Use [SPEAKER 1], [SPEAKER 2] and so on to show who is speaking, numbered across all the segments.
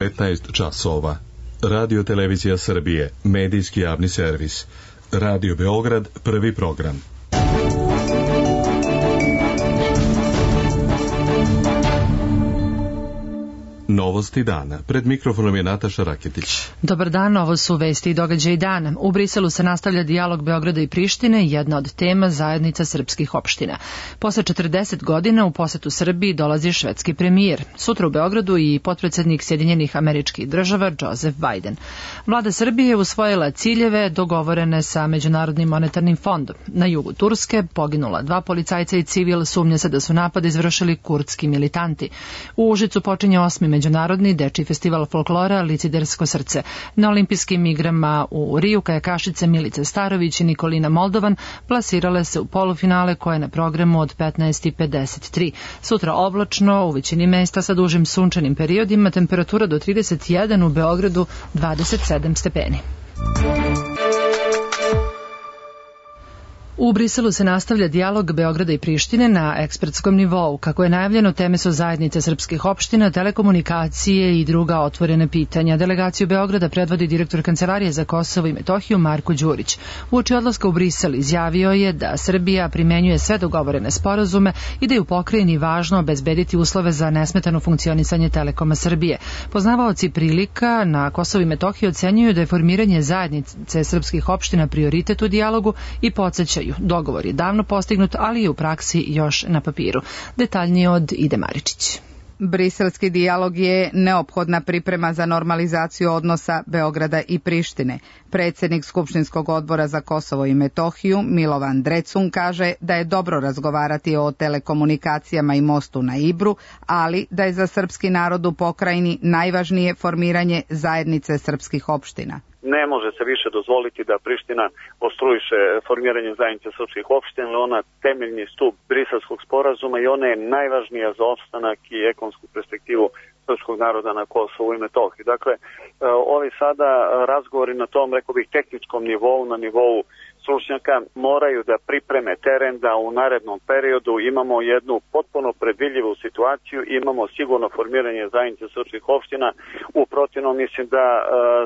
[SPEAKER 1] 15 časova. Radio Televizija Srbije, medijski javni servis. Radio Beograd, prvi program. Novosti dana. Pred mikrofonom je Nataša Raketić.
[SPEAKER 2] Dobar dan, ovo su vesti i događaji dana. U Briselu se nastavlja dijalog Beograda i Prištine, jedna od tema zajednica srpskih opština. Posle 40 godina u posetu Srbiji dolazi švedski premijer. Sutra u Beogradu i potpredsednik Sjedinjenih Američkih Država Joseph Biden. Vlada Srbije je usvojila ciljeve dogovorene sa Međunarodnim monetarnim fondom. Na jugu Turske poginula 2 policajca i civil, sumnja se da su napad izvršili kurdski militanti. U Užicu počinje 8. Međunarodni dečiji festival folklora Licidersko srce. Na olimpijskim igrama u Riju kajakašice Milica Starović i Nikolina Moldovan plasirale se u polufinale koje je na programu od 15:53. Sutra oblačno, u većini mesta sa dužim sunčanim periodima, temperatura do 31, u Beogradu 27 stepeni. U Briselu se nastavlja dijalog Beograda i Prištine na ekspertskom nivou. Kako je najavljeno, teme su zajednice srpskih opština, telekomunikacije i druga otvorene pitanja. Delegaciju Beograda predvodi direktor Kancelarije za Kosovo i Metohiju Marko Đurić. Uoči odlaska u Brisel izjavio je da Srbija primenjuje sve dogovorene sporazume i da je u pokrajini važno obezbediti uslove za nesmetano funkcionisanje Telekoma Srbije. Poznavaoci prilika na Kosovo i Metohiji ocenjuju da je formiranje zajednice srpskih opština prioritet u dijalogu i podsjećaju. Dogovor je davno postignut, ali je u praksi još na papiru. Detaljnije od Ide Maričić.
[SPEAKER 3] Briselski dijalog je neophodna priprema za normalizaciju odnosa Beograda i Prištine. Predsjednik Skupštinskog odbora za Kosovo i Metohiju Milovan Drecun kaže da je dobro razgovarati o telekomunikacijama i mostu na Ibru, ali da je za srpski narod u pokrajini najvažnije formiranje zajednice srpskih opština.
[SPEAKER 4] Ne može se više dozvoliti da Priština ostrujiše formiranje zajednice srpskih opština, ona temeljni stup Briselskog sporazuma i ona je najvažnija za opstanak i ekonomsku perspektivu srpskog naroda na Kosovu i Metohiji. Dakle, ovi sada razgovori na tom, rekao bih, tehničkom nivou, na nivou stručnjaka, moraju da pripreme teren da u narednom periodu imamo jednu potpuno predvidljivu situaciju, imamo sigurno formiranje zajednice srpskih opština. U protivnom mislim da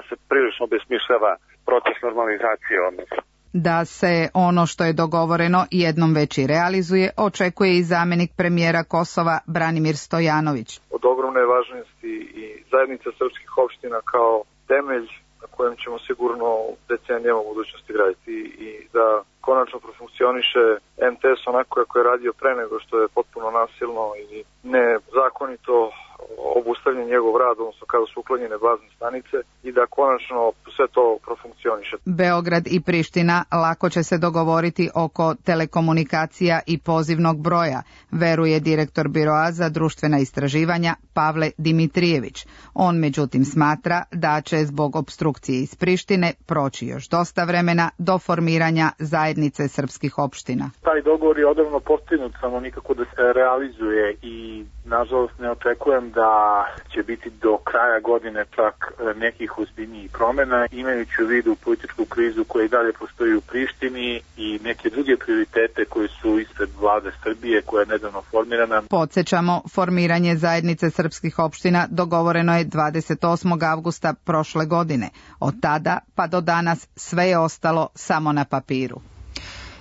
[SPEAKER 4] se prilično besmišljava proces normalizacije odnosa.
[SPEAKER 3] Da se ono što je dogovoreno jednom već i realizuje, očekuje i zamjenik premijera Kosova Branimir Stojanović.
[SPEAKER 5] Od ogromne važnosti i zajednica srpskih opština kao temelj na kojem ćemo sigurno decenijama u budućnosti graditi i da konačno profunkcioniše MTS onako kako je radio pre nego što je potpuno nasilno i nezakonito obustavljen njegov rad, odnosno kada su uklonjene bazne stanice, i da konačno sve to profunkcioniše.
[SPEAKER 3] Beograd i Priština lako će se dogovoriti oko telekomunikacija i pozivnog broja, veruje direktor Biroa za društvena istraživanja Pavle Dimitrijević. On međutim smatra da će zbog opstrukcije iz Prištine proći još dosta vremena do formiranja zajednice srpskih opština.
[SPEAKER 6] Taj dogovor je odavno postignut, samo nikako da se realizuje i nažalost ne očekujem da će biti do kraja godine čak nekih ozbiljnijih promjena, imajući u vidu političku krizu koja i dalje postoji u Prištini i neke druge prioritete koji su ispred vlade Srbije koja je nedavno formirana.
[SPEAKER 3] Podsjećamo, formiranje zajednice srpskih opština dogovoreno je 28. avgusta prošle godine. Od tada pa do danas sve je ostalo samo na papiru.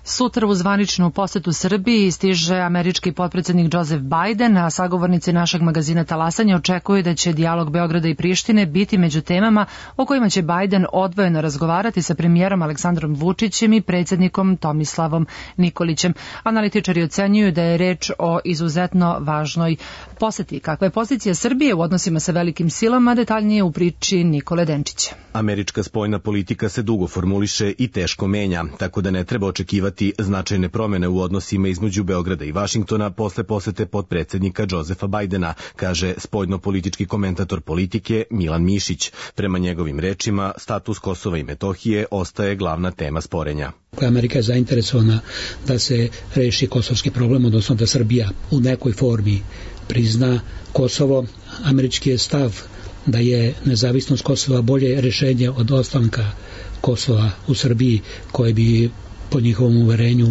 [SPEAKER 2] Sutra u zvaničnu posetu Srbiji stiže američki potpredsjednik Joseph Biden, a sagovornici našeg magazina Talasanje očekuju da će dijalog Beograda i Prištine biti među temama o kojima će Biden odvojeno razgovarati sa premijerom Aleksandrom Vučićem i predsjednikom Tomislavom Nikolićem. Analitičari ocenjuju da je reč o izuzetno važnoj poseti. Kakva je pozicija Srbije u odnosima sa velikim silama, detaljnije u priči Nikole Denčića.
[SPEAKER 7] Američka spoljna politika se dugo formuliše i teško menja, tako da ne treba očekivati značajne promjene u odnosima između Beograda i Vašingtona posle posete potpredsjednika Josefa Bajdena, kaže spoljno-politički komentator Politike Milan Mišić. Prema njegovim rečima, status Kosova i Metohije ostaje glavna tema sporenja.
[SPEAKER 8] Amerika je zainteresovana da se reši kosovski problem, odnosno da Srbija u nekoj formi prizna Kosovo. Američki je stav da je nezavisnost Kosova bolje rješenje od ostanka Kosova u Srbiji, koje bi po njihovom uverenju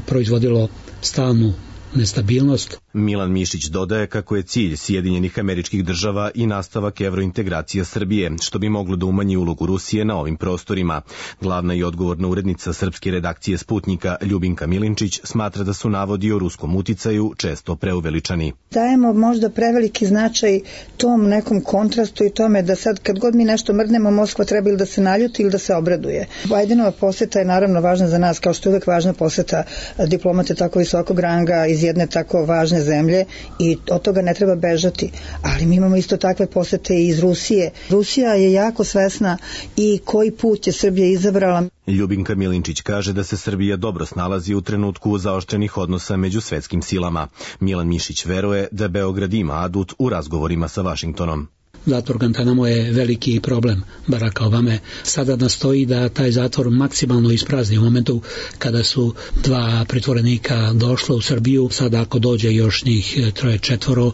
[SPEAKER 8] proizvodilo stalnu nestabilnost.
[SPEAKER 7] Milan Mišić dodaje kako je cilj Sjedinjenih Američkih Država i nastavak evrointegracija Srbije, što bi moglo da umanji ulogu Rusije na ovim prostorima. Glavna i odgovorna urednica srpske redakcije Sputnika Ljubinka Milinčić smatra da su navodi o ruskom uticaju često preuveličani.
[SPEAKER 9] Dajemo možda preveliki značaj tom nekom kontrastu i tome da sad kad god mi nešto mrdnemo, Moskva treba ili da se naljuti ili da se obraduje. Bajdenova poseta je naravno važna za nas, kao što je uvek važna poseta diplomate tako visokog ranga iz jedne tako važne zemlje i od toga ne treba bežati. Ali mi imamo isto takve posete i iz Rusije. Rusija je jako svesna i koji put je Srbija izabrala.
[SPEAKER 7] Ljubinka Milinčić kaže da se Srbija dobro snalazi u trenutku zaoštrenih odnosa među svetskim silama. Milan Mišić veruje da Beograd ima adut u razgovorima sa Vašingtonom.
[SPEAKER 8] Zatvor Guantanamo je veliki problem Baracka Obame. Sada nastoji da taj zatvor maksimalno isprazni u momentu kada su 2 pritvorenika došla u Srbiju. Sada ako dođe još njih 3-4,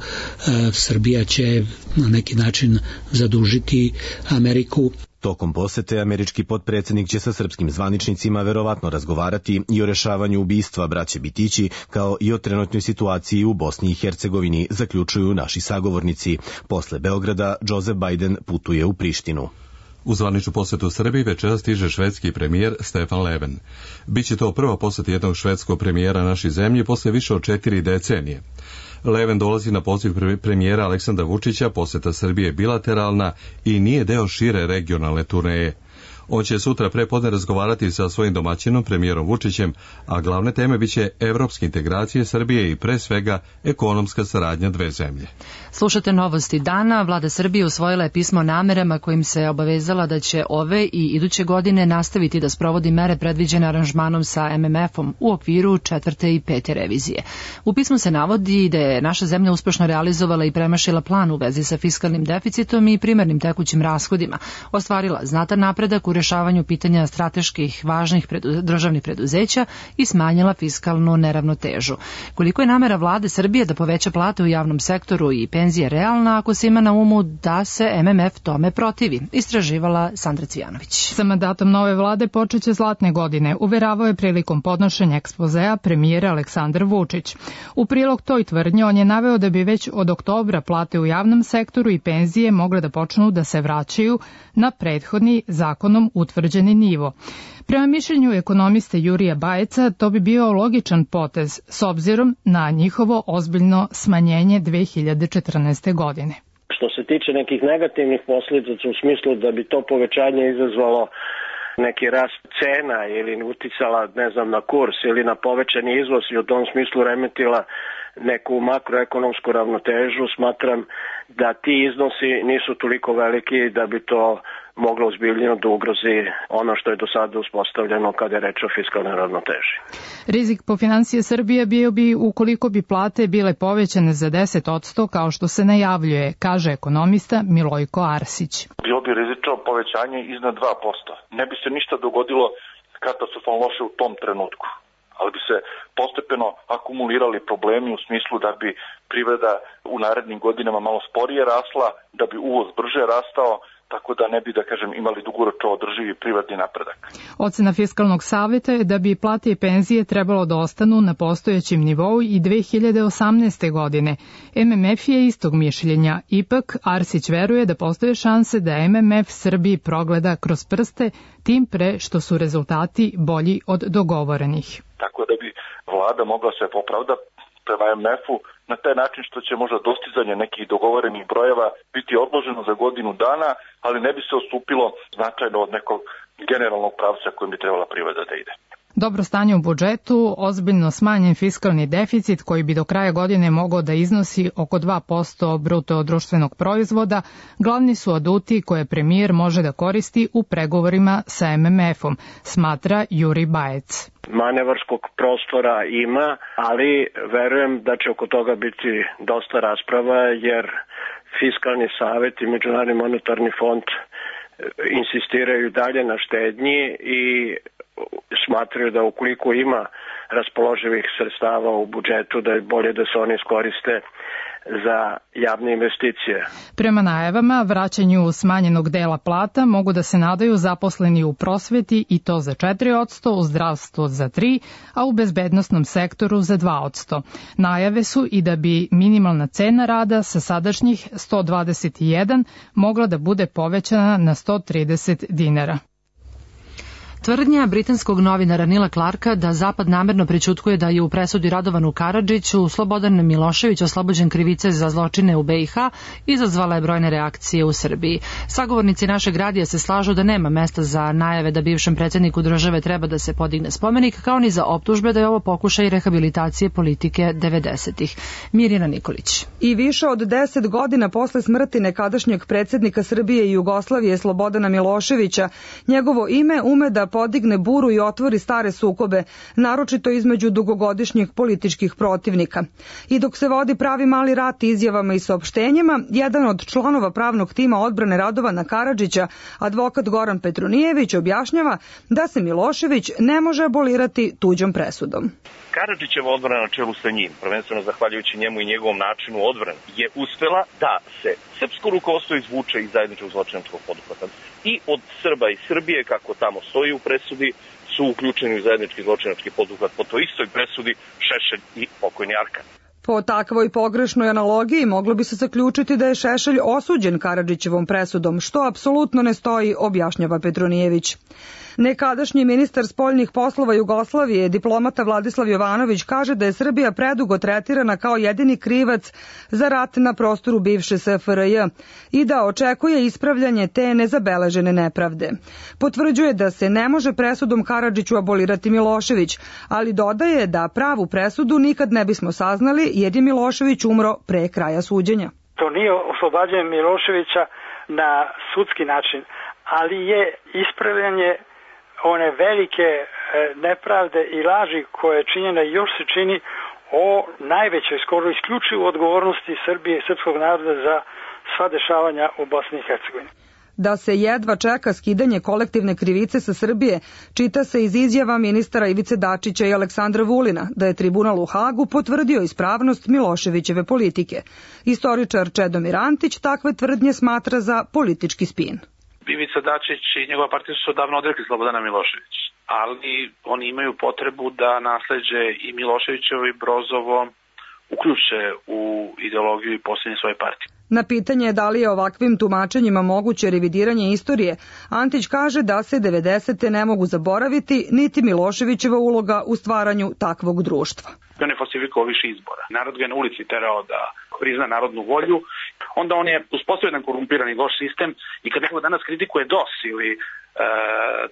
[SPEAKER 8] Srbija će na neki način zadužiti Ameriku.
[SPEAKER 7] Tokom posete američki potpredsjednik će sa srpskim zvaničnicima verovatno razgovarati i o rešavanju ubistva braće Bitići, kao i o trenutnoj situaciji u Bosni i Hercegovini, zaključuju naši sagovornici. Posle Beograda, Joseph Biden putuje u Prištinu.
[SPEAKER 1] U zvaničnu posetu Srbiji večeras stiže švedski premijer Stefan Löfven. Biće to prva poseta jednog švedskog premijera našoj zemlji posle više od 4 decenije. Löfven dolazi na poziv premijera Aleksandra Vučića, poseta Srbije bilateralna i nije deo šire regionalne turneje. On će sutra prepodne razgovarati sa svojim domaćinom, premijerom Vučićem, a glavne teme biće evropske integracije Srbije i pre svega ekonomska saradnja dve zemlje.
[SPEAKER 2] Slušate novosti dana. Vlada Srbije usvojila je pismo o namerama kojim se obavezala da će ove i iduće godine nastaviti da sprovodi mere predviđene aranžmanom sa MMF-om u okviru 4. i 5. revizije. U pismu se navodi da je naša zemlja uspešno realizovala i premašila plan u vezi sa fiskalnim deficitom i primarnim tekućim rashodima, ostvarila znatan napredak u rešavanju pitanja strateških važnih državnih preduzeća i smanjila fiskalnu neravnotežu. Koliko je namera vlade Srbije da poveća plate u javnom sektoru i penzije realna ako se ima na umu da se MMF tome protivi, istraživala Sandra Cvijanović.
[SPEAKER 10] Sa mandatom nove vlade počeće zlatne godine, uveravao je prilikom podnošenja ekspozea premijer Aleksandar Vučić. U prilog toj tvrdnji on je naveo da bi već od oktobra plate u javnom sektoru i penzije mogle da počnu da se vraćaju na prethodni zakonom utvrđeni nivo. Prema mišljenju ekonomiste Jurija Bajeca, to bi bio logičan potez s obzirom na njihovo ozbiljno smanjenje 2014. godine.
[SPEAKER 11] Što se tiče nekih negativnih posljedica u smislu da bi to povećanje izazvalo neki rast cena ili uticala, na kurs ili na povećani izvoz i u tom smislu remetila neku makroekonomsku ravnotežu, smatram da ti iznosi nisu toliko veliki da bi to moglo ozbiljno da ugrozi ono što je do sada uspostavljeno kada je reč o fiskalnoj ravnoteži.
[SPEAKER 10] Rizik po financije Srbije bio bi ukoliko bi plate bile povećane za 10%, kao što se najavljuje, kaže ekonomista Milojko Arsić.
[SPEAKER 12] Bilo bi rizično povećanje iznad 2%. Ne bi se ništa dogodilo katastrofalno loše u tom trenutku, ali bi se postepeno akumulirali problemi u smislu da bi privreda u narednim godinama malo sporije rasla, da bi uvoz brže rastao, tako da ne bi, imali dugoročno održivi privredni napredak.
[SPEAKER 10] Ocena Fiskalnog saveta je da bi plate i penzije trebalo da ostanu na postojećem nivou i 2018. godine. MMF je istog mišljenja. Ipak, Arsić veruje da postoje šanse da MMF Srbiji progleda kroz prste, tim pre što su rezultati bolji od dogovorenih.
[SPEAKER 12] Tako da bi vlada mogla se popravda prema MMF-u na taj način što će možda dostizanje nekih dogovorenih brojeva biti odloženo za godinu dana, ali ne bi se odstupilo značajno od nekog generalnog pravca kojim bi trebala privreda da ide.
[SPEAKER 10] Dobro stanje u budžetu, ozbiljno smanjen fiskalni deficit koji bi do kraja godine mogao da iznosi oko 2% bruto društvenog proizvoda, glavni su aduti koje premijer može da koristi u pregovorima sa MMF-om, smatra Juri Bajec.
[SPEAKER 11] Manevarskog prostora ima, ali verujem da će oko toga biti dosta rasprava, jer Fiskalni savet i Međunarodni monetarni fond insistiraju dalje na štednji i smatraju da ukoliko ima raspoloživih sredstava u budžetu, da je bolje da se oni iskoriste za javne investicije.
[SPEAKER 10] Prema najavama, vraćanju smanjenog dela plata mogu da se nadaju zaposleni u prosveti i to za 4%, u zdravstvu za 3%, a u bezbednosnom sektoru za 2%. Najave su i da bi minimalna cena rada sa sadašnjih 121 mogla da bude povećana na 130 dinara.
[SPEAKER 2] Tvrdnja britanskog novinara Nila Clarka da Zapad namerno prećutkuje da je u presudi Radovanu Karadžiću Slobodan Milošević oslobođen krivice za zločine u BiH izazvala je brojne reakcije u Srbiji. Sagovornici našeg radija se slažu da nema mesta za najave da bivšem predsjedniku države treba da se podigne spomenik, kao ni za optužbe da je ovo pokušaj rehabilitacije politike 90-ih. Mirjana Nikolić.
[SPEAKER 13] I više od 10 godina posle smrti nekadašnjeg predsjednika Srbije i Jugoslavije Slobodana Miloševića, njegovo ime ume da podigne buru i otvori stare sukobe, naročito između dugogodišnjih političkih protivnika. I dok se vodi pravi mali rat izjavama i saopštenjima, jedan od članova pravnog tima odbrane Radovana Karadžića, advokat Goran Petronijević, objašnjava da se Milošević ne može abolirati tuđom presudom.
[SPEAKER 14] Karadžićeva odbrana na čelu sa njim, prvenstveno zahvaljujući njemu i njegovom načinu odbrane, je uspela da se srpsko rukovodstvo izvuče iz zajedničkog zločinačkog poduhvata. I od Srba i Srbije, kako tamo stoji u presudi, su uključeni u zajednički zločinački poduhvat po toj istoj presudi Šešelj i pokojni Arkan.
[SPEAKER 13] Po takvoj pogrešnoj analogiji moglo bi se zaključiti da je Šešelj osuđen Karadžićevom presudom, što apsolutno ne stoji, objašnjava Petronijević. Nekadašnji ministar spoljnih poslova Jugoslavije, diplomata Vladislav Jovanović, kaže da je Srbija predugo tretirana kao jedini krivac za rat na prostoru bivše SFRJ i da očekuje ispravljanje te nezabeležene nepravde. Potvrđuje da se ne može presudom Karadžiću abolirati Milošević, ali dodaje da pravu presudu nikad ne bismo saznali jer je Milošević umro pre kraja suđenja.
[SPEAKER 15] To nije oslobađanje Miloševića na sudski način, ali je ispravljanje one velike nepravde i laži koje je činjena i još se čini o najvećoj, skoro isključivo odgovornosti Srbije i srpskog naroda za sva dešavanja u Bosni i Hercegovini.
[SPEAKER 13] Da se jedva čeka skidanje kolektivne krivice sa Srbije, čita se iz izjava ministara Ivice Dačića i Aleksandra Vulina, da je tribunal u Hagu potvrdio ispravnost Miloševićeve politike. Istoričar Čedomir Antić takve tvrdnje smatra za politički spin.
[SPEAKER 16] Ivica Dačić i njegova partija su davno odrekli Slobodana Miloševića, ali oni imaju potrebu da nasleđe i Miloševićevo i Brozovo uključe u ideologiju i posljednje svoje partije.
[SPEAKER 13] Na pitanje da li je ovakvim tumačenjima moguće revidiranje istorije, Antić kaže da se 90. ne mogu zaboraviti niti Miloševićeva uloga u stvaranju takvog društva.
[SPEAKER 16] On je falsifikovao više izbora. Narod ga je na ulici terao da prizna narodnu volju, onda on je uspostavio jedan korumpirani loš sistem i kad neko danas kritikuje DOS ili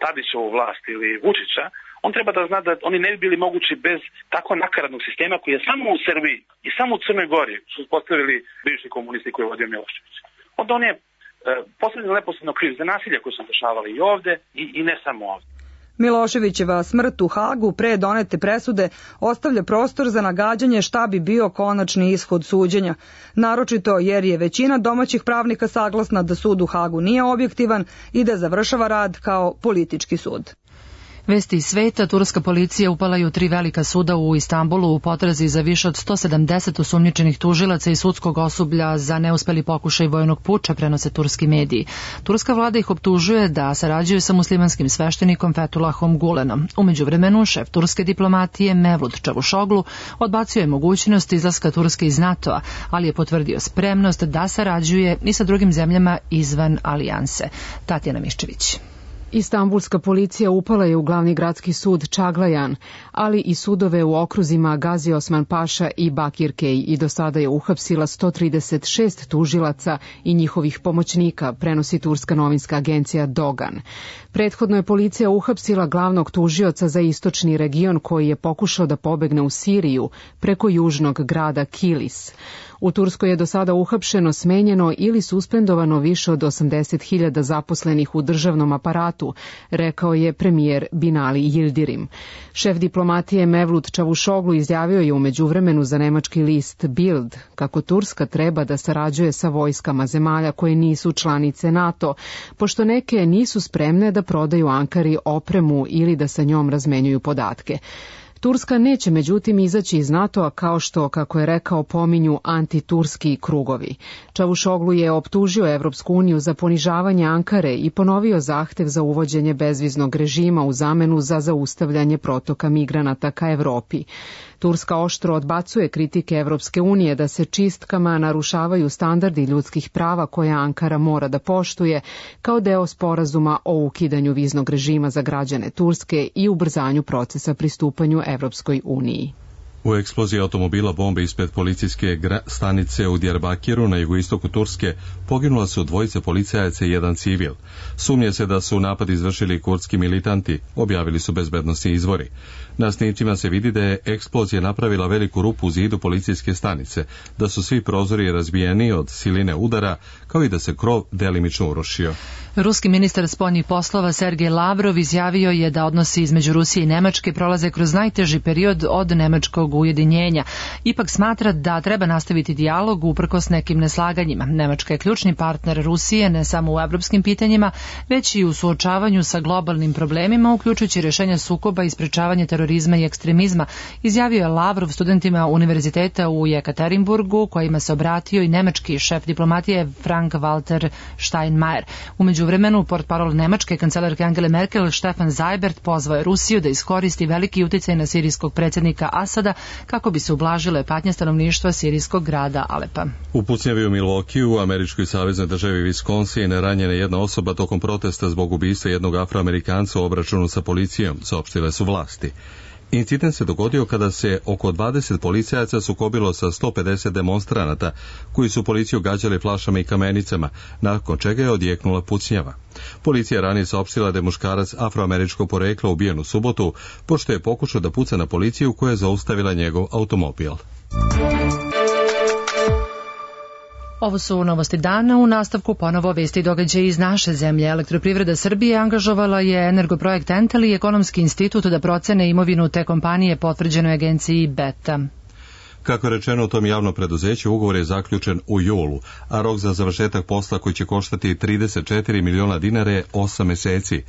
[SPEAKER 16] Tadićevu vlast ili Vučića, on treba da zna da oni ne bi bili mogući bez tako nakaradnog sistema koji je samo u Srbiji i samo u Crnoj Gori su uspostavili bivši komunisti koji je vodio Milošević. Onda on je poslednje neposredno kriv za nasilje koje su dešavali i ovde i ne samo ovde.
[SPEAKER 13] Miloševićeva smrt u Hagu pre donete presude ostavlja prostor za nagađanje šta bi bio konačni ishod suđenja, naročito jer je većina domaćih pravnika saglasna da sud u Hagu nije objektivan i da završava rad kao politički sud.
[SPEAKER 2] Vesti iz sveta, turska policija upala je u 3 velika suda u Istanbulu u potrazi za više od 170 osumnjičenih tužilaca i sudskog osoblja za neuspeli pokušaj vojnog puča, prenose turski mediji. Turska vlada ih optužuje da sarađuju sa muslimanskim sveštenikom Fethullahom Gulenom. U međuvremenu, šef turske diplomatije Mevlut Čavuşoglu odbacio je mogućnost izlaska Turske iz NATO-a, ali je potvrdio spremnost da sarađuje i sa drugim zemljama izvan alijanse. Tatjana Miščević.
[SPEAKER 17] Istanbulska policija upala je u glavni gradski sud Čaglajan, ali i sudove u okruzima Gazi Osman Paša i Bakirkej i do sada je uhapsila 136 tužilaca i njihovih pomoćnika, prenosi turska novinska agencija Dogan. Prethodno je policija uhapsila glavnog tužioca za istočni region koji je pokušao da pobegne u Siriju preko južnog grada Kilis. U Turskoj je do sada uhapšeno, smenjeno ili suspendovano više od 80.000 zaposlenih u državnom aparatu, rekao je premijer Binali Yildirim. Šef diplomatije Mevlut Čavuşoglu izjavio je u međuvremenu za nemački list Bild kako Turska treba da sarađuje sa vojskama zemalja koje nisu članice NATO, pošto neke nisu spremne da prodaju Ankari opremu ili da sa njom razmenjuju podatke. Turska neće međutim izaći iz NATO-a kao što, kako je rekao, pominju antiturski krugovi. Čavuşoglu je optužio Evropsku uniju za ponižavanje Ankare i ponovio zahtev za uvođenje bezviznog režima u zamenu za zaustavljanje protoka migranata ka Evropi. Turska oštro odbacuje kritike Evropske unije da se čistkama narušavaju standardi ljudskih prava koje Ankara mora da poštuje kao deo sporazuma o ukidanju viznog režima za građane Turske i ubrzanju procesa pristupanju Evropskoj uniji.
[SPEAKER 1] U eksploziji automobila bombe ispred policijske stanice u Diyarbakiru na jugoistoku Turske poginula su dvojice policajaca i jedan civil. Sumnje se da su napad izvršili kurdski militanti, objavili su bezbednosni izvori. Na snimcima se vidi da je eksplozija napravila veliku rupu u zidu policijske stanice, da su svi prozori razbijeni od siline udara, kao i da se krov delimično urušio.
[SPEAKER 2] Ruski ministar spoljnih poslova Sergej Lavrov izjavio je da odnosi između Rusije i Nemačke prolaze kroz najteži period od nemačkog ujedinjenja. Ipak smatra da treba nastaviti dijalog uprkos nekim neslaganjima. Nemačka je ključni partner Rusije ne samo u evropskim pitanjima, već i u suočavanju sa globalnim problemima, uključujući rješenje sukoba i sprečavanje terorizma i ekstremizma, izjavio je Lavrov studentima univerziteta u Jekaterinburgu, kojima se obratio i nemački šef diplomatije Frank-Walter Steinmeier. U međuvremenu, portparol nemačke kancelarke Angele Merkel Stefan Seibert pozvao je Rusiju da iskoristi veliki uticaj na sirijskog predsjednika Asada kako bi se ublažile patnje stanovništva sirijskog grada Alepa.
[SPEAKER 1] U pucnjavi u Milwaukee u američkoj saveznoj državi Wisconsin ranjena jedna osoba tokom protesta zbog ubistva jednog Afroamerikanca u obračunu sa policijom, saopštile su vlasti. Incident se dogodio kada se oko 20 policajaca sukobilo sa 150 demonstranata koji su policiju gađali flašama i kamenicama, nakon čega je odjeknula pucnjava. Policija ranije saopštila da je muškarac afroameričkog porekla ubijen u subotu, pošto je pokušao da puca na policiju koja je zaustavila njegov automobil.
[SPEAKER 2] Ovo su novosti dana, u nastavku ponovo vesti i događaji iz naše zemlje. Elektroprivreda Srbije angažovala je Energoprojekt Entel i Ekonomski institut da procene imovinu te kompanije potvrđenoj agenciji Beta.
[SPEAKER 1] Kako je rečeno u tom javnom preduzeću, ugovor je zaključen u julu, a rok za završetak posla koji će koštati 34 miliona dinara je 8 meseci.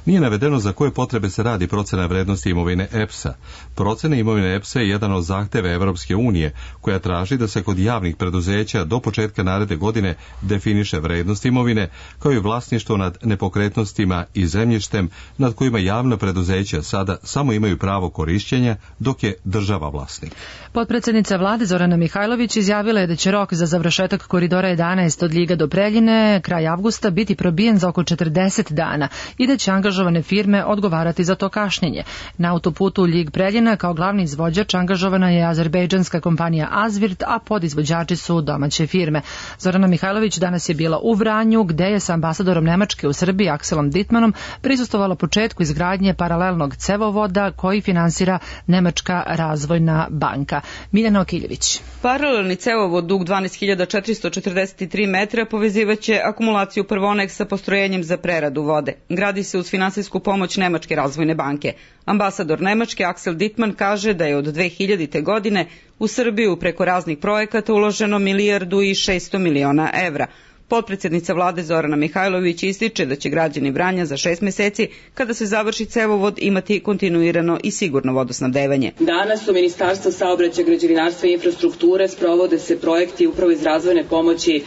[SPEAKER 1] Nije navedeno za koje potrebe se radi procena vrednosti imovine EPS-a. Procena imovine EPS-a je jedan od zahteva Evropske unije, koja traži da se kod javnih preduzeća do početka naredne godine definiše vrednost imovine, kao i vlasništvo nad nepokretnostima i zemljištem nad kojima javna preduzeća sada samo imaju pravo korišćenja, dok je država vlasnik.
[SPEAKER 2] Potpredsednica vlade Zorana Mihajlović izjavila je da će rok za završetak koridora 11 od Ljiga do Preljine kraj avgusta biti probijen za oko 40 dana i da će angažovane firme odgovarati za to kašnjenje. Na autoputu Ljig-Preljina kao glavni izvođač angažovana je azerbejdžanska kompanija Azvirt, a podizvođači su domaće firme. Zorana Mihajlović danas je bila u Vranju, gde je sa ambasadorom Nemačke u Srbiji Akselom Dittmanom prisustvovala početku izgradnje paralelnog cevovoda koji finansira Nemačka razvojna banka. Miljana Okiljević.
[SPEAKER 18] Paralelni cevovod dug 12.443 metra povezivaće akumulaciju Prvonek sa postrojenjem za preradu vode. Gradi se uz finansijsku pomoć Nemačke razvojne banke. Ambasador Nemačke Aksel Dittman kaže da je od 2000. godine u Srbiju preko raznih projekata uloženo 1,6 milijardi evra. Potpredsjednica vlade Zorana Mihajlović ističe da će građani Vranja za 6 meseci, kada se završi cevovod, imati kontinuirano i sigurno vodosnabdevanje.
[SPEAKER 19] Danas u Ministarstvu saobraćaja, građevinarstva i infrastrukture sprovode se projekti upravo iz razvojne pomoći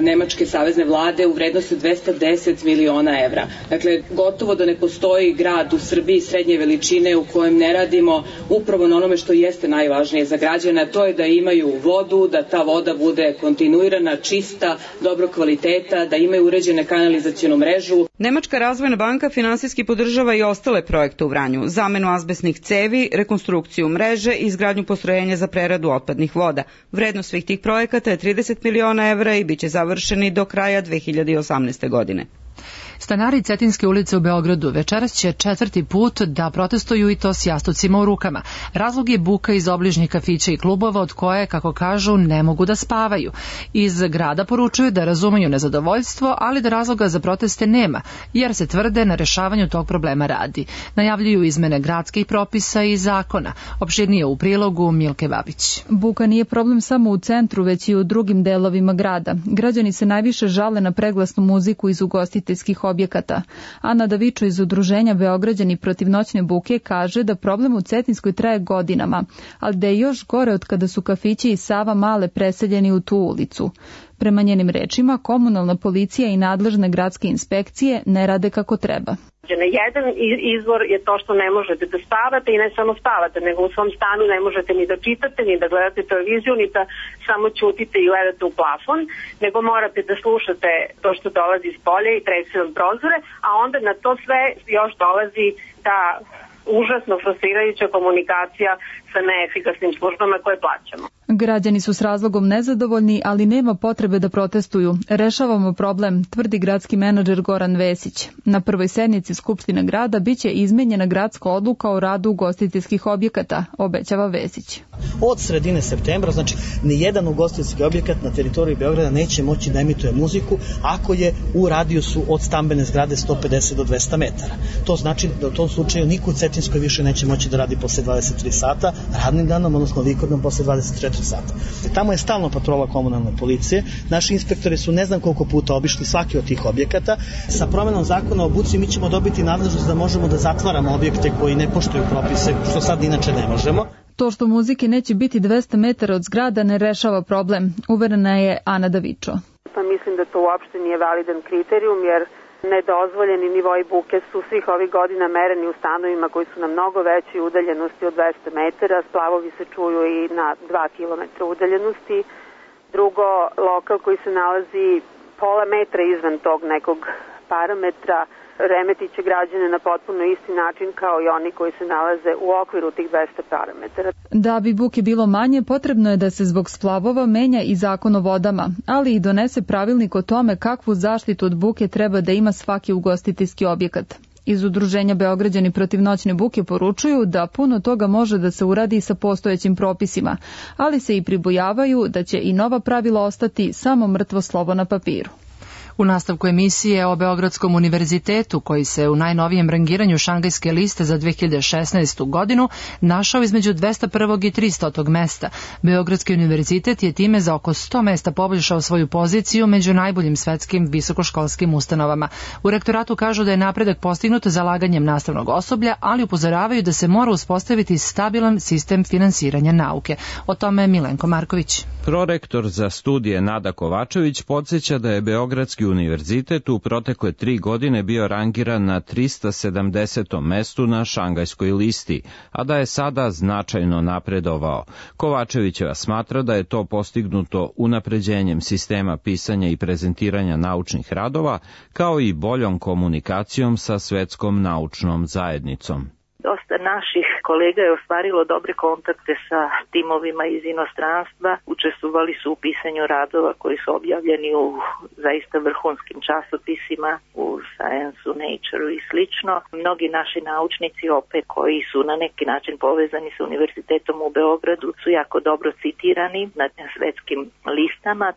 [SPEAKER 19] Nemačke savezne vlade u vrednosti 210 miliona evra. Dakle, gotovo da ne postoji grad u Srbiji srednje veličine u kojem ne radimo upravo na onome što jeste najvažnije za građana, to je da imaju vodu, da ta voda bude kontinuirana, čista, dobro kvaliteta, da imaju uređene kanalizacionu mrežu.
[SPEAKER 18] Nemačka razvojna banka finansijski podržava i ostale projekte u Vranju, zamenu azbestnih cevi, rekonstrukciju mreže i izgradnju postrojenja za preradu otpadnih voda. Vrednost svih tih projekata je 30 miliona evra i biće završeni do kraja 2018. godine.
[SPEAKER 2] Stanari Cetinske ulice u Beogradu večeras će 4. put da protestuju i to s jastucima u rukama. Razlog je buka iz obližnjih kafića i klubova od koje, kako kažu, ne mogu da spavaju. Iz grada poručuju da razumeju nezadovoljstvo, ali da razloga za proteste nema, jer se tvrde na rešavanju tog problema radi. Najavljuju izmene gradskih propisa i zakona. Opširnije u prilogu Milke Babić.
[SPEAKER 10] Buka nije problem samo u centru, već i u drugim delovima grada. Građani se najviše žale na preglasnu muziku iz ugostiteljskih
[SPEAKER 20] objekata. Ana Davičo iz Udruženja Beograđani protiv noćne buke kaže da problem u Cetinskoj traje godinama, ali da je još gore od kada su kafići i Sava Male preseljeni u tu ulicu. Prema njenim rečima, komunalna policija i nadležne gradske inspekcije ne rade kako treba.
[SPEAKER 21] Jedan izvor je to što ne možete da spavate i ne samo spavate, nego u svom stanu ne možete ni da čitate, ni da gledate televiziju, ni da samo ćutite i gledate u plafon, nego morate da slušate to što dolazi iz polja i trese vam prozore, a onda na to sve još dolazi ta užasno frustrirajuća komunikacija sa neefikasnim službama koje plaćamo.
[SPEAKER 20] Građani su s razlogom nezadovoljni, ali nema potrebe da protestuju. Rešavamo problem, tvrdi gradski menadžer Goran Vesić. Na prvoj sednici Skupštine grada biće izmenjena gradska odluka o radu ugostiteljskih objekata, obećava Vesić.
[SPEAKER 22] Od sredine septembra, znači, nijedan ugostiteljski objekat na teritoriji Beograda neće moći da emituje muziku ako je u radijusu od stambene zgrade 150 do 200 metara. To znači da u tom slučaju niko u Cetinskoj više neće moći da radi posle 23 sata, radnim danom, odnosno vikendom posle 24 sata. Tamo je stalno patrola komunalne policije. Naši inspektori su ne znam koliko puta obišli svaki od tih objekata. Sa promenom zakona o buci mi ćemo dobiti nadležnost da možemo da zatvaramo objekte koji ne poštuju propise, što sad inače ne možemo.
[SPEAKER 20] To što muzike neće biti 200 metara od zgrada ne rešava problem, uverena je Ana Davičo.
[SPEAKER 23] Pa mislim da to uopšte nije validan kriterijum, jer nedozvoljeni nivoi buke su svih ovih godina mereni u stanovima koji su na mnogo većoj udaljenosti od 200 metara, splavovi se čuju i na 2 km udaljenosti. Drugo, lokal koji se nalazi pola metra izvan tog nekog parametra remetit će građane na potpuno isti način kao i oni koji se nalaze u okviru tih 200 parametara.
[SPEAKER 20] Da bi buke bilo manje, potrebno je da se zbog splavova menja i zakon o vodama, ali i donese pravilnik o tome kakvu zaštitu od buke treba da ima svaki ugostiteljski objekat. Iz Udruženja Beograđani protiv noćne buke poručuju da puno toga može da se uradi sa postojećim propisima, ali se i pribojavaju da će i nova pravila ostati samo mrtvo slovo na papiru.
[SPEAKER 2] U nastavku emisije o Beogradskom univerzitetu, koji se u najnovijem rangiranju Šangajske liste za 2016. godinu našao između 201. i 300. mesta. Beogradski univerzitet je time za oko 100 mesta poboljšao svoju poziciju među najboljim svetskim visokoškolskim ustanovama. U rektoratu kažu da je napredak postignut zalaganjem nastavnog osoblja, ali upozoravaju da se mora uspostaviti stabilan sistem finansiranja nauke. O tome Milenko Marković.
[SPEAKER 24] Prorektor za studije Nada Kovačević podsjeća da je Beogradski univerzitet u protekle 3 godine bio rangiran na 370. mestu na Šangajskoj listi, a da je sada značajno napredovao. Kovačevićeva smatra da je to postignuto unapređenjem sistema pisanja i prezentiranja naučnih radova, kao i boljom komunikacijom sa svetskom naučnom zajednicom.
[SPEAKER 25] Dosta naših kolega je ostvarilo dobre kontakte sa timovima iz inostranstva, učestvovali su u pisanju radova koji su objavljeni u zaista vrhunskim časopisima, u Science-u, Nature-u i slično. Mnogi naši naučnici opet koji su na neki način povezani sa univerzitetom u Beogradu su jako dobro citirani na svetskim listama.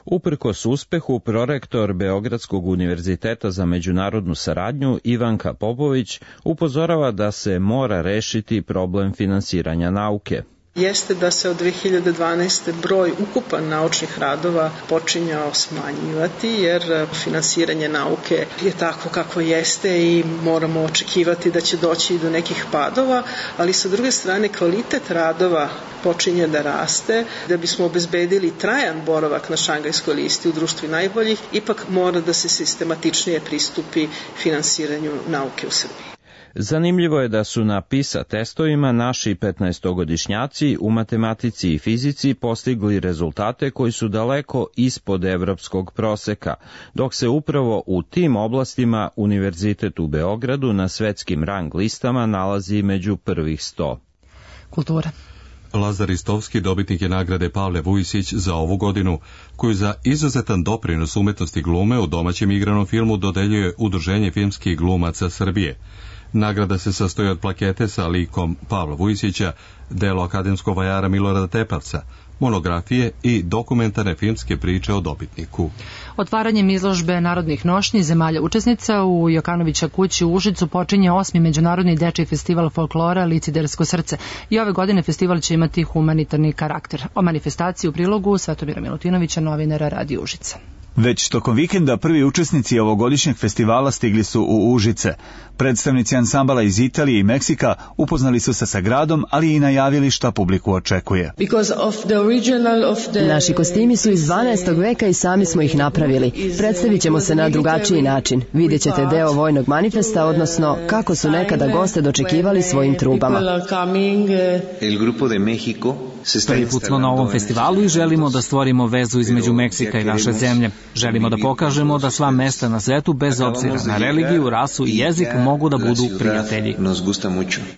[SPEAKER 24] Uprkos uspehu, prorektor Beogradskog univerziteta za međunarodnu saradnju Ivanka Popović upozorava da se mora rešiti problem finansiranja nauke.
[SPEAKER 26] Jeste da se od 2012. broj ukupan naučnih radova počinjao smanjivati, jer finansiranje nauke je tako kako jeste i moramo očekivati da će doći do nekih padova, ali sa druge strane kvalitet radova počinje da raste. Da bismo obezbedili trajan boravak na Šangajskoj listi u društvu najboljih, ipak mora da se sistematičnije pristupi finansiranju nauke u Srbiji.
[SPEAKER 24] Zanimljivo je da su na PISA testovima naši 15-godišnjaci u matematici i fizici postigli rezultate koji su daleko ispod evropskog proseka, dok se upravo u tim oblastima Univerzitet u Beogradu na svetskim rang listama nalazi među prvih 100.
[SPEAKER 2] Kultura.
[SPEAKER 1] Lazar Istovski dobitnik je nagrade Pavle Vujisić za ovu godinu, koju za izuzetan doprinos umetnosti glume u domaćem igranom filmu dodeljuje Udruženje filmskih glumaca Srbije. Nagrada se sastoji od plakete sa likom Pavla Vujisića, delo akademskog vajara Milorada Tepavca, monografije i dokumentarne filmske priče o dobitniku.
[SPEAKER 2] Otvaranjem izložbe narodnih nošnji zemalja učesnica u Jokanovića kući u Užicu počinje 8. Međunarodni dečiji festival folklora Licidersko srce i ove godine festival će imati humanitarni karakter. O manifestaciji u prilogu Svetomira Milutinovića, novinara Radio Užica.
[SPEAKER 3] Već tokom vikenda prvi učesnici ovogodišnjeg festivala stigli su u Užice. Predstavnici ansambala iz Italije i Meksika upoznali su se sa gradom, ali i najavili šta publiku očekuje.
[SPEAKER 4] Naši kostimi su iz 12. veka i sami smo ih napravili. Predstavit ćemo se na drugačiji način. Vidjet ćete deo vojnog manifesta, odnosno kako su nekada goste dočekivali svojim trubama.
[SPEAKER 5] Prvi put smo na ovom festivalu i želimo da stvorimo vezu između Meksika i naše zemlje. Želimo da pokažemo da sva mesta na svetu, bez obzira na religiju, rasu i jezik, mogu da budu prijatelji.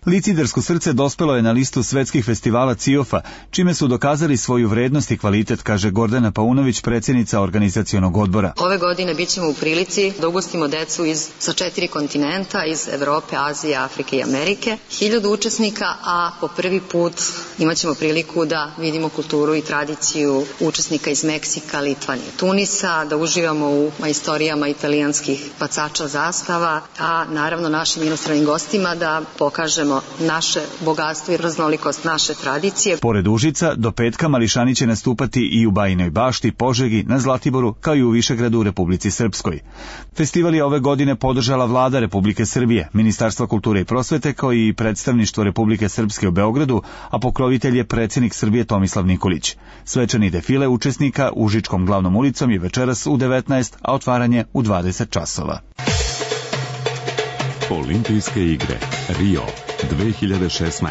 [SPEAKER 3] Licidersko srce dospelo je na listu svetskih festivala CIOF-a, čime su dokazali svoju vrednost i kvalitet, kaže Gordana Paunović, predsjednica organizacionog odbora.
[SPEAKER 6] Ove godine bit ćemo u prilici da ugostimo decu sa 4 kontinenta, iz Evrope, Azije, Afrike i Amerike. 1000 učesnika, a po prvi put imat ćemo priliku da vidimo kulturu i tradiciju učesnika iz Meksika, Litvanije, Tunisa, da uživamo u majstorijama italijanskih bacača zastava, a naravno našim inostranim gostima da pokažemo naše bogatstvo i raznolikost naše tradicije.
[SPEAKER 3] Pored Užica, do petka mališani će nastupati i u Bajinoj Bašti, Požegi, na Zlatiboru, kao i u Višegradu u Republici Srpskoj. Festival je ove godine podržala Vlada Republike Srbije, Ministarstvo kulture i prosvete, kao i predstavništvo Republike Srpske u Beogradu, a pokrovitelj je predsjednik Srbije Tomislav Nikolić. Svečani defile učesnika Užičkom glavnom ulicom je večeras u 19, a otvaranje u 20 časova.
[SPEAKER 8] Olimpijske igre Rio 2016.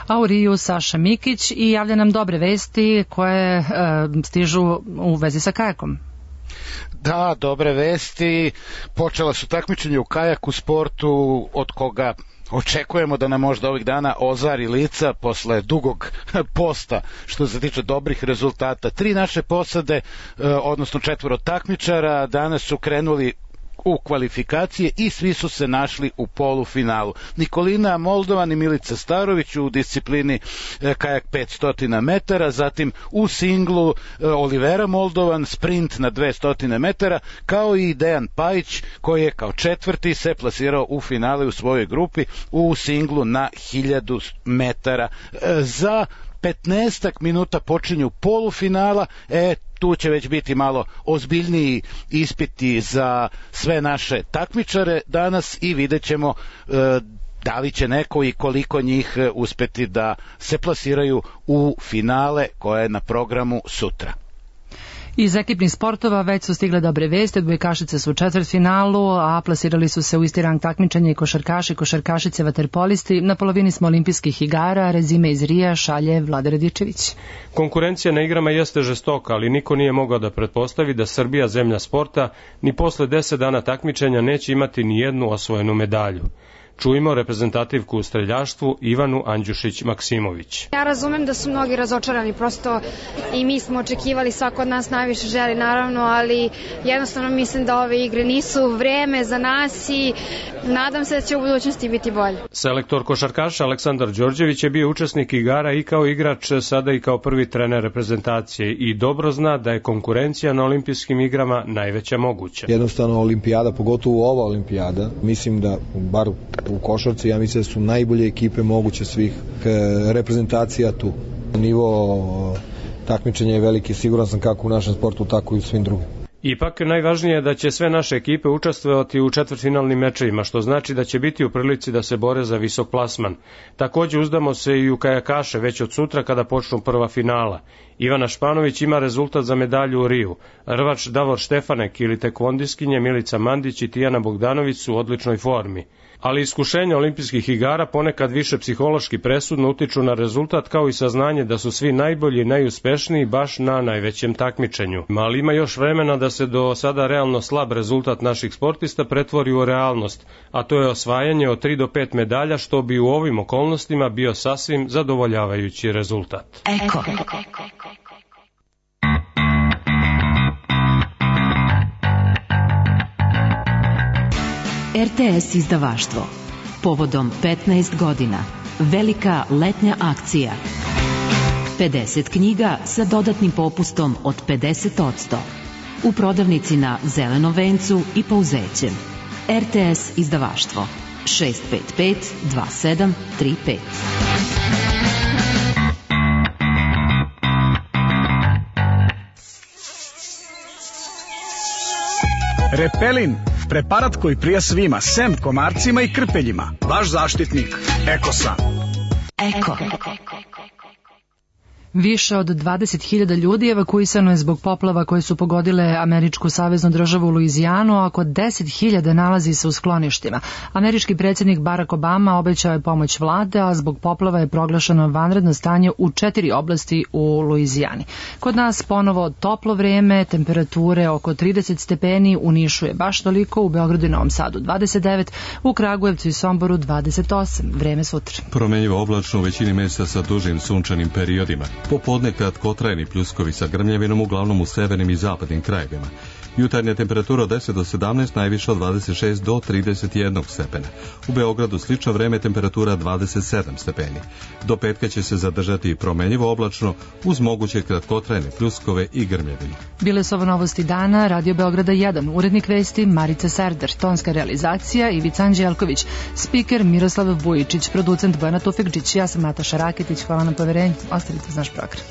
[SPEAKER 2] A u Riju Saša Mikić i javlja nam dobre vesti koje stižu u vezi sa kajakom.
[SPEAKER 9] Da, dobre vesti. Počela su takmičenje u kajaku sportu od koga očekujemo da nam možda ovih dana ozari lica posle dugog posta što se tiče dobrih rezultata. 3 naše posade, odnosno 4 takmičara, danas su krenuli u kvalifikacije i svi su se našli u polufinalu. Nikolina Moldovan i Milica Starović u disciplini kajak 500 metara, zatim u singlu Olivera Moldovan sprint na 200 metara, kao i Dejan Pajić koji je kao 4. se plasirao u finale u svojoj grupi u singlu na 1000 metara. Za 15 minuta počinju polufinala, tu će već biti malo ozbiljniji ispiti za sve naše takmičare danas i vidjet ćemo da li će neko i koliko njih uspeti da se plasiraju u finale koje je na programu sutra.
[SPEAKER 2] Iz ekipnih sportova već su stigle dobre vesti, odbojkašice su u četvrtfinalu, a plasirali su se u isti rang takmičenja i košarkaši, košarkašice, vaterpolisti. Na polovini smo olimpijskih igara, rezime iz Rija šalje Vlada Radičević.
[SPEAKER 27] Konkurencija na igrama jeste žestoka, ali niko nije mogao da pretpostavi da Srbija, zemlja sporta, ni posle 10 dana takmičenja neće imati ni jednu osvojenu medalju. Čujmo reprezentativku u streljaštvu Ivanu Andjušić-Maksimović.
[SPEAKER 28] Ja razumem da su mnogi razočarani, prosto i mi smo očekivali, svako od nas najviše želi naravno, ali jednostavno mislim da ove igre nisu vreme za nas i nadam se da će u budućnosti biti bolje.
[SPEAKER 27] Selektor košarkaša Aleksandar Đorđević je bio učesnik igara i kao igrač, sada i kao prvi trener reprezentacije i dobro zna da je konkurencija na olimpijskim igrama najveća moguća.
[SPEAKER 29] Jednostavno olimpijada, pogotovo ova olimpijada, mislim da bar u košarci, ja mislim da su najbolje ekipe moguće svih reprezentacija tu. Nivo takmičenja je veliki, siguran sam kako u našem sportu, tako i u svim drugim.
[SPEAKER 27] Ipak najvažnije je da će sve naše ekipe učestvovati u četvrtfinalnim mečevima, što znači da će biti u prilici da se bore za visok plasman. Takođe uzdamo se i u kajakaše već od sutra kada počnu prva finala. Ivana Španović ima rezultat za medalju u Riju. Rvač Davor Štefanek ili tekvondiskinje Milica Mandić i Tijana Bogdanović su u odličnoj formi. Ali iskušenja olimpijskih igara ponekad više psihološki presudno utiču na rezultat, kao i saznanje da su svi najbolji i najuspešniji baš na najvećem takmičenju. Ali ima još vremena da se do sada realno slab rezultat naših sportista pretvori u realnost, a to je osvajanje od 3 do 5 medalja, što bi u ovim okolnostima bio sasvim zadovoljavajući rezultat.
[SPEAKER 30] Eko. RTS izdavaštvo. Povodom 15 godina. Velika letnja akcija. 50 knjiga sa dodatnim popustom od 50%. U prodavnici na Zelenom vencu i Pauzećem. RTS izdavaštvo. 655 2735.
[SPEAKER 7] Repelin, preparat koji prija svima, sem komarcima i krpeljima. Vaš zaštitnik, Ekosan.
[SPEAKER 30] Eko.
[SPEAKER 2] Više od 20.000 ljudi evakuisano je zbog poplava koje su pogodile američku saveznu državu Luizijanu, a oko 10.000 nalazi se u skloništima. Američki predsjednik Barack Obama obećao je pomoć vlade, a zbog poplava je proglašeno vanredno stanje u 4 oblasti u Luizijani. Kod nas ponovo toplo vreme, temperature oko 30 stepeni, u Nišu je baš toliko, u Beogradu i Novom Sadu 29, u Kragujevcu i Somboru 28. Vreme sutra.
[SPEAKER 1] Promenjivo oblačno u većini mjesta sa dužim sunčanim periodima. Popodne kratkotrajni pljuskovi sa grmljavinom uglavnom u severnim i zapadnim krajevima. Jutarnja temperatura od 10 do 17, najviša od 26 do 31 stepena. U Beogradu slično vreme, temperatura 27 stepeni. Do petka će se zadržati promenjivo oblačno uz moguće kratkotrajne pljuskove i grmljavinu.
[SPEAKER 2] Bile su ovo novosti dana, Radio Beograda 1, urednik vesti Marica Serdar, tonska realizacija Ivica Anđelković, spiker Miroslav Vujičić, producent Bojana Tufekđić, ja sam Nataša Raketić, hvala na poverenju, ostavite uz naš program.